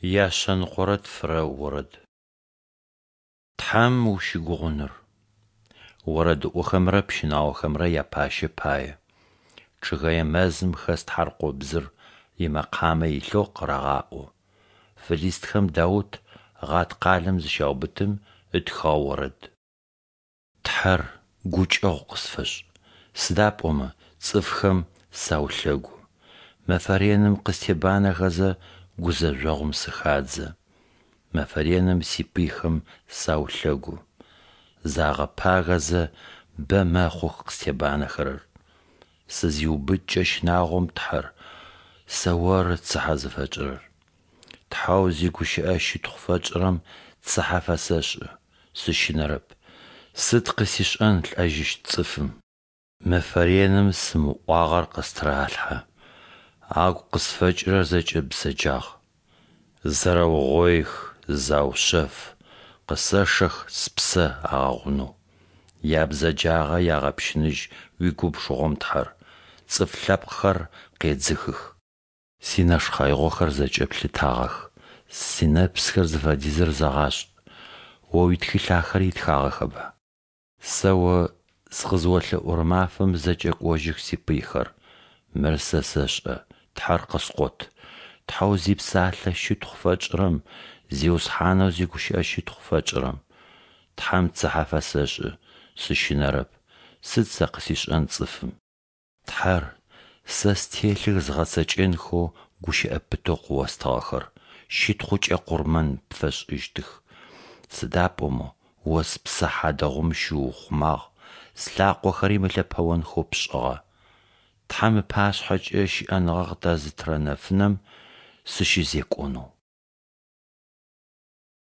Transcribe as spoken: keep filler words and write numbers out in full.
Яшъэныкъорэ тфырэ орэд. Тхьэм ущыгугъыныр. Орэдыӏохэмрэ пщынаохэмрэ япащэ пае. Чъыгэе мэзым хэс тхьаркъобзыр имэкъамэ илъэу къырагъаӏо. Фылистхэм Даут Гъат къалэм зыщаубытым ытхыгъэ орэд. Тхьэр, гукӏэгъу къысфэшӏ, сыда пӏомэ цӏыфхэм саулъэгу. Мэфэ реным къыстебанэхэзэ гузэжъогъум сыхадзэ. Мэфэ реным сипыйхэм саулъэгу. Загъэпагэзэ бэ мэхъух къыстебанэхэрэр. Сызиубыткӏэ щынагъом, Тхьэр, сэ Оры цыхьэ зыфэтшӏырэр. Тхьэу зигущыӏэ щытхъу фэтшӏырэм цыхьэ фэсэшӏы, сыщынэрэп. Сыд къысишӏэн лӏэжьыщт цӏыфым? Мэфэ реным сымыӏуагъэр къыстыралъхьэ, агу къысфэкӏырэр зэкӏэ бзэджагъ. Зэрэугъоих, заушъэф, къысэшэх спсэ агъэгъунэу. Ябзэджагъэ ягъэпщыныжь уигубжыгъом, Тхьэр, цӏыф лъэпкъхэр къедзыхых. Синэшхъэигъохэр зэкӏэ плъытагъэх, синэпсхэр зыфэдизыр зэгъашӏ, О уитхылъ ахэр итхагъэхэба? Сэ О сыкъызыолъэӏурэ мафэм зэкӏэкӏожьых сипыйхэр. Мыр сэ сэшӏэ: Тхьэр къыскъот. Тхьэу зипсалъэ щытхъу фэтшӏырэм, Зиусхьанэу зигущыӏэ щытхъу фэтшӏырэм. Тхьэм цыхьэ фэсэшӏы, сыщынэрэп. Сыд сэ къысишӏэн цӏыфым? Тхьэр, сэ стелъых згъэцэкӏэнхэу гущыӏэ пытэу къыостыгъэхэр, щытхъукӏэ къурмэн пфэсшӏыщтых. Сыда пӏомэ О спсэ хьадэгъум щыуухъумагъ, слъакъохэри мылъэпэонхэу пшӏыгъэ. Тхьэм ыпашъхьэкӏэ щыӏэныгъэ къытэзытырэ нэфынэм сыщызекӏонэу.